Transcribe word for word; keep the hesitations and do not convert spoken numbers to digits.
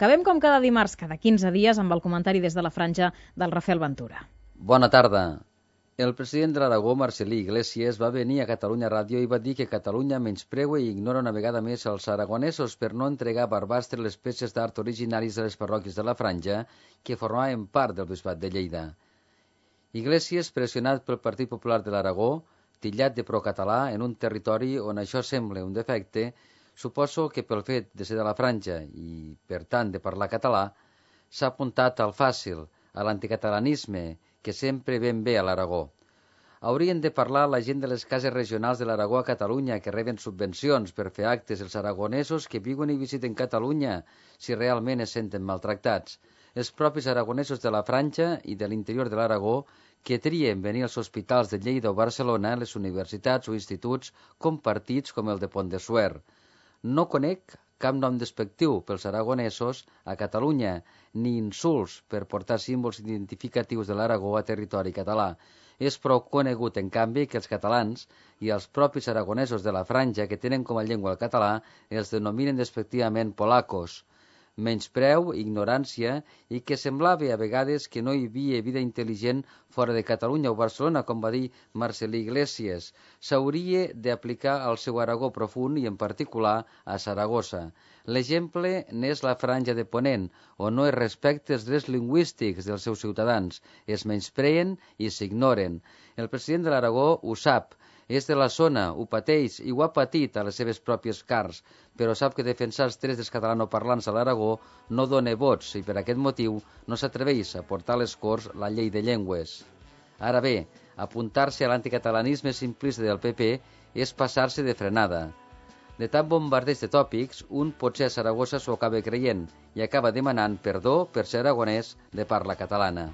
Acabem com cada dimarts, cada quinze dies, amb el comentari des de la franja del Rafael Ventura. Bona tarda. El president de l'Aragó, Marcelí Iglesias, va venir a Catalunya Ràdio i va dir que Catalunya menyspreua i ignora una vegada més els aragonesos per no entregar a Barbastre les peces d'art originaris de les parròquies de la franja que formaven part del bisbat de Lleida. Iglesias, pressionat pel Partit Popular de l'Aragó, tillat de procatalà en un territori on això sembla un defecte, suposo que pel fet de ser de la franja i, per tant, de parlar català, s'ha apuntat al fàcil, a l'anticatalanisme, que sempre ven bé a l'Aragó. Haurien de parlar la gent de les cases regionals de l'Aragó a Catalunya que reben subvencions per fer actes els aragonesos que viuen i visiten Catalunya si realment es senten maltractats. Els propis aragonesos de la franja i de l'interior de l'Aragó que trien venir als hospitals de Lleida o Barcelona, les universitats o instituts compartits com el de Pont de Suert. No conec cap nom despectiu pels aragonesos a Catalunya, ni insults per portar símbols identificatius de l'Aragó a territori català. És prou conegut, en canvi, que els catalans i els propis aragonesos de la franja que tenen com a llengua el català els denominen despectivament polacos. Menyspreu, ignorància i que semblava a vegades que no hi havia vida intel·ligent fora de Catalunya o Barcelona, com va dir Marcelí Iglesias. S'hauria d'aplicar al seu Aragó profund i en particular a Saragossa. L'exemple n'és la franja de Ponent, on no es respecta els drets lingüístics dels seus ciutadans, es menyspreen i s'ignoren. El president de l'Aragó ho sap, és de la zona, ho pateix i ho ha patit a les seves pròpies carns, però sap que defensar els drets dels catalanoparlants a l'Aragó no dona vots i per aquest motiu no s'atreveix a portar a les Corts la llei de llengües. Ara bé, apuntar-se a l'anticatalanisme simplista del P P és passar-se de frenada. De tant bombardeig de tòpics, un potser a Saragossa s'ho acaba creient i acaba demanant perdó per ser aragonès de parla catalana.